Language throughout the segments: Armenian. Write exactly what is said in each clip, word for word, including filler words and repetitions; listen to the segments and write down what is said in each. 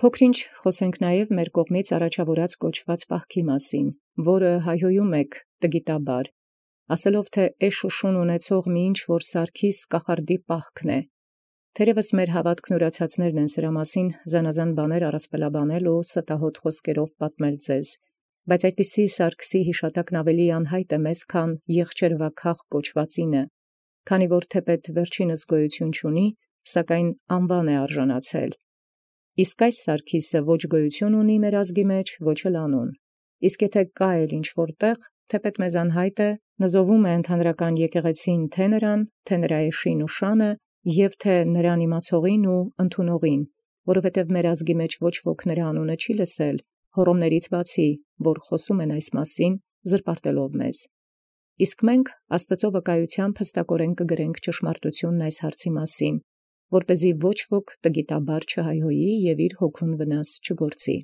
Փոքր-ինչ խոսենք նաև մեր կողմից առաջավորած կոչված պահքի մասին, որը հայհոյում եք տգիտաբար, ասելով թէ «էշ ու շուն ունեցող մի ինչ որ սարքիս կախարդի պահքն է». Թերևս մեր հաւատքն ուրացածներն են սրա մասին զանազան բաներ առասպելաբանել ու ստահոդ խոսքերով պատմել ձեզ, բայց այդպիսի սարքսի յիշատակն ավելի անհայտ է մեզ, քան եղջերվաքաղ կոչվածինը, քանի որ թեպետ վերջինս գոյություն չունի, սակայն անուան է արժանացել։ Իսկ այս սարքիսը ոչ գոյություն ունի մեր ազգի մեջ, ոչ էլ անուն։ Իսկ եթե կա էլ ինչ-որ տեղ, թեպետ մեզ անհայտ է, նզովում է ընդհանրական եկեղեցին թե նրան, թե նրա էշին ու շանը, և թե նրան իմացողին ու ընդունողին, որովհետև մեր ազգի մեջ ոչ ոք նրա անունը չի լսել, հոռոմներից բացի, որ խոսում են այս մասին, զրպարտելով մեզ։ Իսկ մենք Աստծո վկայութեամբ հստակորեն կգրենք ճշմարտութիւնն այս հարցի մասին, որպեսզի ոչ ոք տգիտաբար չհայհոյի և իր հոգուն վնաս չգործի։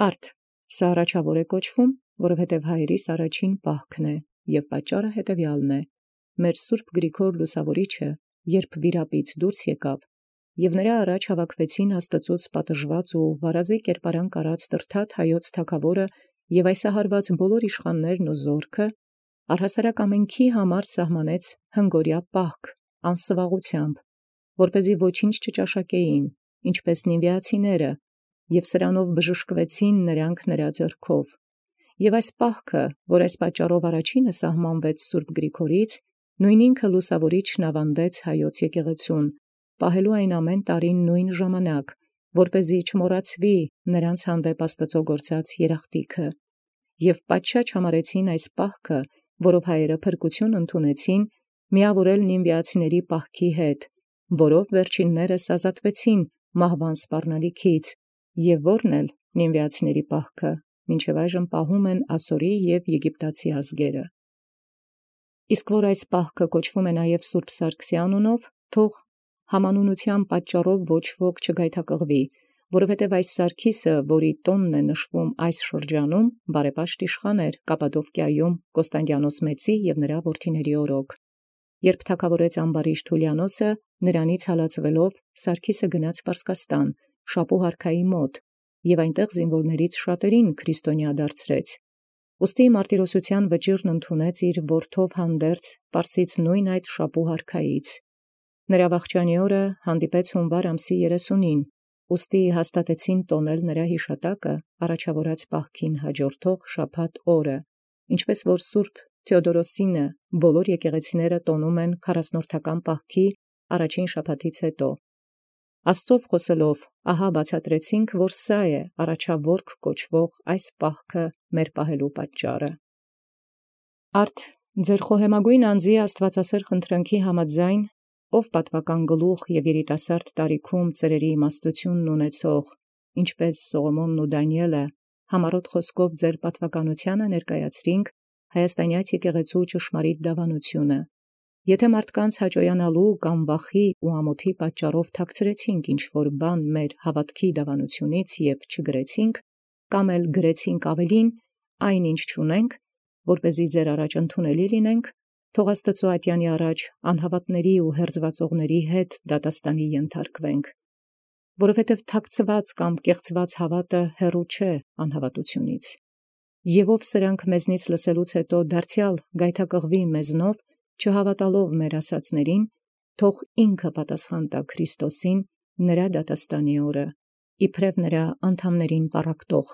Արդ, սա առաջավոր է կոչվում, որովհետև հայերիս առաջին պահքն է, և պատճառը հետևյալն է. մեր Սուրբ Գրիգոր Լուսավորիչը, երբ վիրապից դուրս եկավ, և նրա առաջ հավաքվեցին Աստծուց պատժված ու վարազի կերպարանք արած Տրդատ հայոց թագաւորը և այսահարված բոլոր իշխաններն ու զորքը, առհասարակ ամենքի համար սահմանեց հնգօրյա պահք անսվաղութեամբ, որպեսզի ոչինչ չճաշակեին, ինչպես նինվիացիները, և սրանով բժշկվեցին նրանք նրա ձեռքով։ Եւ այս պահքը, որ այս պատճառով առաջինը սահմանվեց Սուրբ Գրիգորից, նույն ինքը Լուսավորիչն աւանդեց հայոց եկեղեցուն, պահելու այն ամեն տարին նույն ժամանակ, որպեսզի չմոռացվի նրանց հանդեպ Աստուծոյ գործած երախտիքը։ Եւ պատշաճ համարեցին այս պահքը, որով հայերը փրկություն ընդունեցին, միավորել նինվիացիների պահքի հետ, որով վերջիններս ազատվեցին մահվան սպառնալիքից, եւ որն էլ նինվիացիների պահքը մինչև այժմ պահում են ասորի եւ եգիպտացի ազգերը։ Իսկ որ այս պահքը կոչվում է նաև Սուրբ Սարգսի անունով, թող համանունության պատճառով ոչ ոք չգայթակղվի, որովհետև այս Սարգիսը, որի տոնն է նշվում այս շրջանում, բարեպաշտ իշխան էր Կապադովկիայում Կոստանդիանոս Մեծի և նրա որդիների օրոք։ Երբ թագավորեց ամբարիշտ Հուլիանոսը, նրանից հալածվելով Սարգիսը գնաց Պարսկաստան, Շապու հարքայի մոտ, և այնտեղ զինվորներից շատերին քրիստոնյա դարձրեց։ Ուստի մարտիրոսության վճիռն ընդունեց իր որդով հանդերձ Պարսից նույն այդ Շապու հարքայից։ Նրա վախճանի օրը հանդիպեց հունվար ամսի երեսունին, ուստի հաստատեցին տոնել նրա յիշատակը առաջավորած պահքին հաջորդող շաբաթ օրը, ինչպես որ Սուրբ Թեոդորոսինը բոլոր եկեղեցիները տոնում են քառասնորդական պահքի առաջին շաբաթից հետո։ Աստծով խոսելով, ահա բացատրեցինք, որ սա է առաջավորք կոչվող այս պահքը մեր պահելու պատճառը։ Արդ ձեր խոհեմագոյն անձի աստվածասեր խնդրանքի համաձայն, ով պատվական գլուխ և երիտասարդ տարիքում ծերերի իմաստությունն ունեցող, ինչպես Սողոմոնն ու Դանիէլը, համառոտ խոսքով ձեր պատվականությանը ներկայացրինք հայաստանյաց եկեղեցու ճշմարիտ դավանությունը։ Եթե մարդկանց հաճոյանալու կամ վախի ու ամոթի պատճառով թաքցրեցինք ինչ-որ բան մեր հաւատքի դավանությունից և չգրեցինք, կամ էլ գրեցինք ավելին, այն ինչ չունենք, որպեսզի ձեր առաջ ընդունելի լինենք, թող Աստծու ատյանի առաջ անհավատների ու հերձվածողների հետ դատաստանի ենթարկվենք, որովհետև թաքցված կամ կեղծված հաւատը հեռու չէ անհավատությունից։ Եվ ով սրանք մեզնից լսելուց հետո դարձյալ գայթակղվի մեզնով, չհավատալով մեր ասացներին, թող ինքը պատասխան տա Քրիստոսին նրա դատաստանի օրը, իբրև նրա անդամներին պառակտող։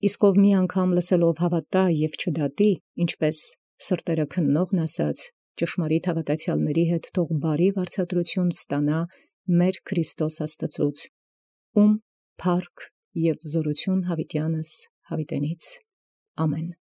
Իսկ ով մի անգամ լսելով հավատա և չդատի, ինչպես սրտերը քննողն ասաց, ճշմարիտ հավատացյալների հետ թող բարի վարձատրություն ստանա մեր Քրիստոս Աստծուց, ում փառք և զորություն յաւիտյանս յաւիտենից։ Ամեն։